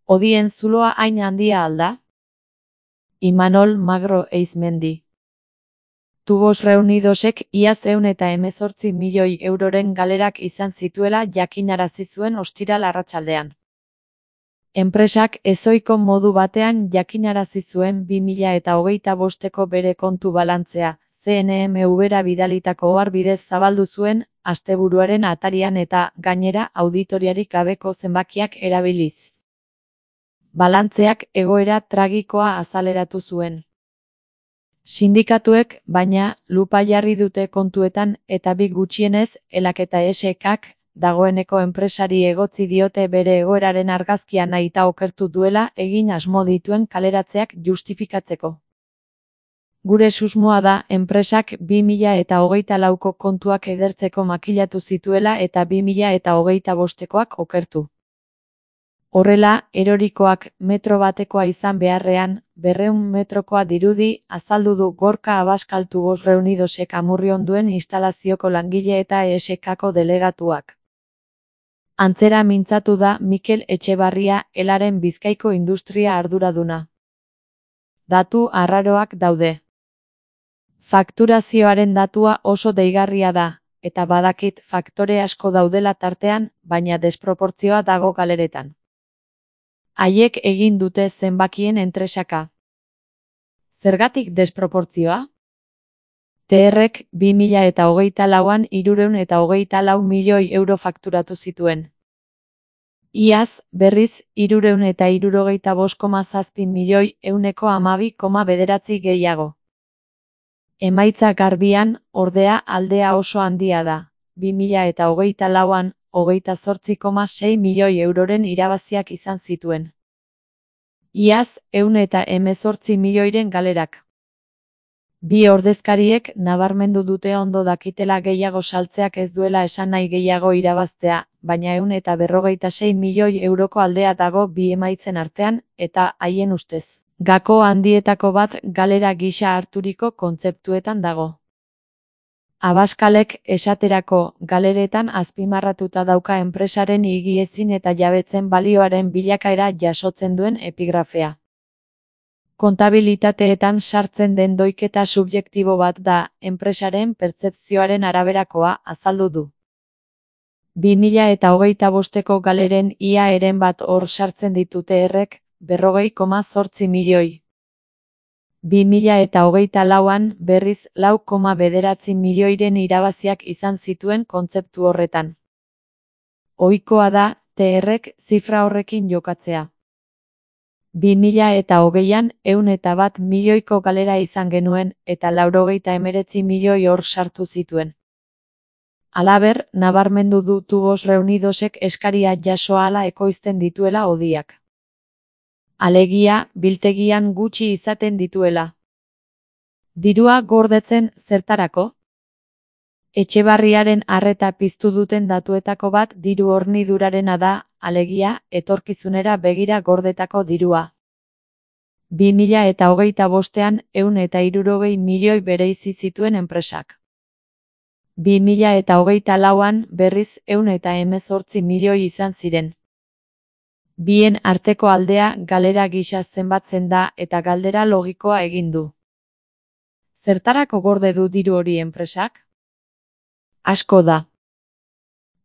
Odien zuloa hain handia alda? Imanol Magro Eizmendi. Tubos Reunidosek iaz 118 milioi euroren galerak izan zituela jakinarazi zuen ostiral arratsaldean. Enpresak ezohiko modu batean jakinarazi zuen 2025eko bere kontu balantzea, CNMV-ra bidalitako ohar bidez zabaldu zuen, asteburuaren atarian eta, gainera, auditoriarik gabeko zenbakiak erabiliz. Balantzeak egoera tragikoa azaleratu zuen. Sindikatuek, baina, lupa jarri dute kontuetan eta bi gutxienez, ELAK eta ESEKak, dagoeneko enpresari egotzi diote bere egoeraren argazkia nahita okertu duela egin asmo dituen kaleratzeak justifikatzeko. Gure susmoa da enpresak 2024ko kontuak edertzeko makilatu zituela eta 2025koak okertu. Horrela, erorikoak metro batekoa izan beharrean, 200 metrokoa dirudi, azaldu du Gorka Abascal Tubos Reunidosek Amurrion duen instalazioko langile eta ESEKako delegatuak. Antzera mintzatu da Mikel Etxebarria, ELAren Bizkaiko industria arduraduna. Datu arraroak daude. Fakturazioaren datua oso deigarria da, eta badakit faktore asko daudela tartean, baina desproportzioa dago galeretan. Haiek egin dute zenbakien entresaka. Zergatik desproportzioa? TRek 2024an 324 milioi euro fakturatu zituen. Iaz, berriz, 365,7 milioi 112,9 gehiago. Emaitza garbian, ordea, aldea oso handia da. 2024an, 28,6 milioi euroren irabaziak izan zituen. Iaz, 118 milioiren galerak. Bi ordezkariek nabarmendu dute ondo dakitela gehiago saltzeak ez duela esan nahi gehiago irabaztea, baina 156 milioi euroko aldea dago bi emaitzen artean, eta, haien ustez, gako handietako bat galera gisa harturiko kontzeptuetan dago. Abascalek, esaterako, galeretan azpimarratuta dauka enpresaren higiezin eta jabetzen balioaren bilakaera jasotzen duen epigrafea. Kontabilitateetan sartzen den doiketa subjektibo bat da, enpresaren pertzepzioaren araberakoa, azaldu du. 2025ko galeren ia eren bat hor sartzen ditute errek, 40,8 milioi. 2024an, berriz, 4,9 milioiren irabaziak izan zituen kontzeptu horretan. Ohikoa da, TRek zifra horrekin jokatzea. 2020an, 101 milioiko galera izan genuen, eta 99 milioi hor sartu zituen. Halaber, nabarmendu du Tubos Reunidosek eskaria jaso ahala ekoizten dituela odiak. Alegia, biltegian gutxi izaten dituela. Dirua gordetzen zertarako? Etxebarriaren arreta piztu duten datuetako bat diru hornidurarena da, alegia, etorkizunera begira gordetako dirua. 2025an 160 milioi bereizi zituen enpresak. 2024an, berriz, 118 milioi izan ziren. Bien arteko aldea galera gisa zenbatzen da eta galdera logikoa egin du. Zertarako gorde du diru hori enpresak? Asko da.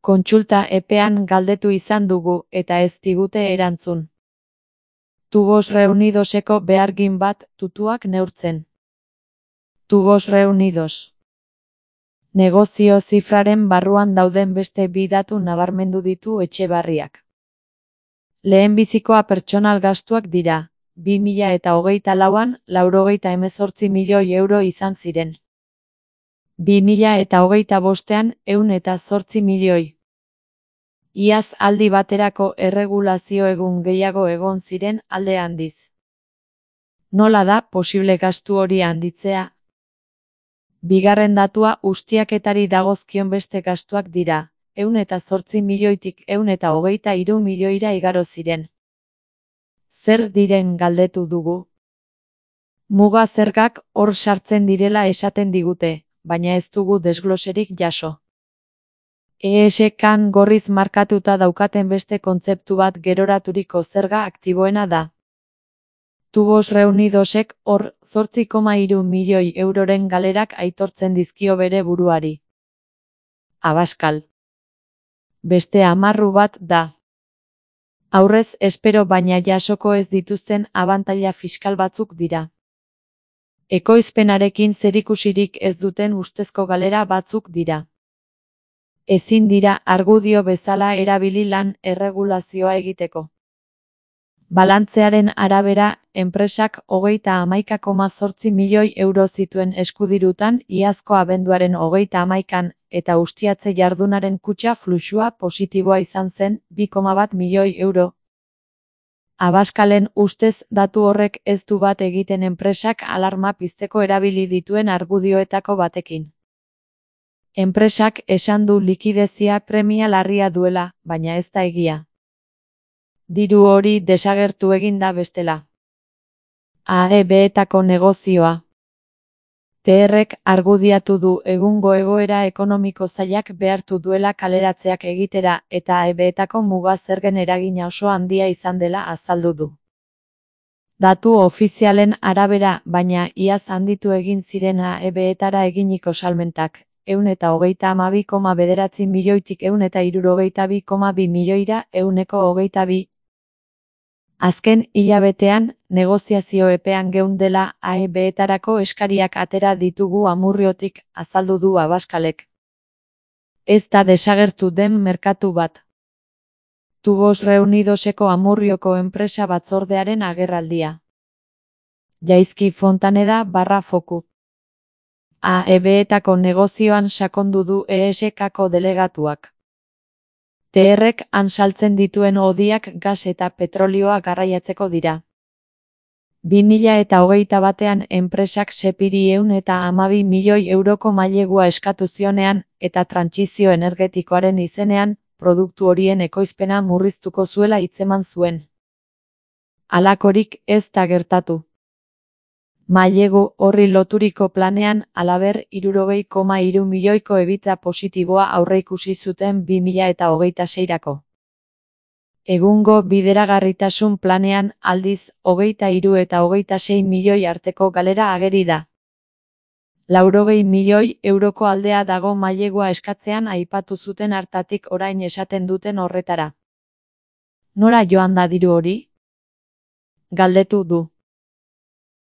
Kontsulta epean galdetu izan dugu eta ez digute erantzun. Tubos Reunidoseko behargin bat tutuak neurtzen. Tubos Reunidos. Negozio zifraren barruan dauden beste bi datu nabarmendu ditu Etxebarriak. Lehenbizikoa pertsonal gastuak dira. 2024an, 98 milioi euro izan ziren. 2025an, 108 milioi. Iaz aldi baterako erregulazio egun gehiago egon ziren alde handiz. Nola da posible gastu hori handitzea? Bigarren datua ustiaketari dagozkion beste gastuak dira. 108 milioitik 123 milioira igaro ziren. Zer diren galdetu dugu? Muga zergak hor sartzen direla esaten digute, baina ez dugu desgloserik jaso. ESK-an gorriz markatuta daukaten beste kontzeptu bat geroraturiko zerga aktiboena da. Tubos Reunidosek hor 8,3 milioi euroren galerak aitortzen dizkio bere buruari. Abascal. Beste amarru bat da. Aurrez espero baina jasoko ez dituzten abantaila fiskal batzuk dira. Ekoizpenarekin zerikusirik ez duten ustezko galera batzuk dira. Ezin dira argudio bezala erabili lan erregulazioa egiteko. Balantzearen arabera, enpresak 31,8 milioi euro zituen eskudirutan iazko abenduaren 31an eta ustiatze jardunaren kutxa fluxua positiboa izan zen 2,1 milioi euro. Abascalen ustez datu horrek ez du bat egiten enpresak alarma pizteko erabili dituen argudioetako batekin. Enpresak esan du likidezia premia larria duela, baina ez da egia. Diru hori desagertu egin da bestela. AEB-etako negozioa. TR-ek argudiatu du egungo egoera ekonomiko zailak behartu duela kaleratzeak egitera eta AEB-etako muga zergen eragina oso handia izan dela azaldu du. Datu ofizialen arabera, baina iaz handitu egin ziren AEB-etara eginiko salmentak, 132,9 milioitik 162,2 milioira 122. Azken hilabetean, negoziazio epean geundela AEB-etarako eskariak atera ditugu Amurriotik, azaldu du Abascalek. Ez da desagertu den merkatu bat. Tubos Reunidoseko Amurrioko enpresa batzordearen agerraldia. Jaizki Fontaneda /Foku. AEB-etako negozioan sakondu du ESK-ko delegatuak. TR-ek han saltzen dituen hodiak gas eta petrolioa garraiatzeko dira. 2021ean enpresak sepiri 112 milioi euroko mailegua eskatu zionean eta trantsizio energetikoaren izenean, produktu horien ekoizpena murriztuko zuela hitzeman zuen. Halakorik ez da gertatu. Mailegu horri loturiko planean, halaber 60,3 milioiko EBITDA positiboa aurreikusi zuten 2026erako. Egungo bideragarritasun planean, aldiz, 23 eta 26 milioi arteko galera ageri da. 80 milioi euroko aldea dago mailegua eskatzean aipatu zuten hartatik orain esaten duten horretara. Nora joan da diru hori? Galdetu du.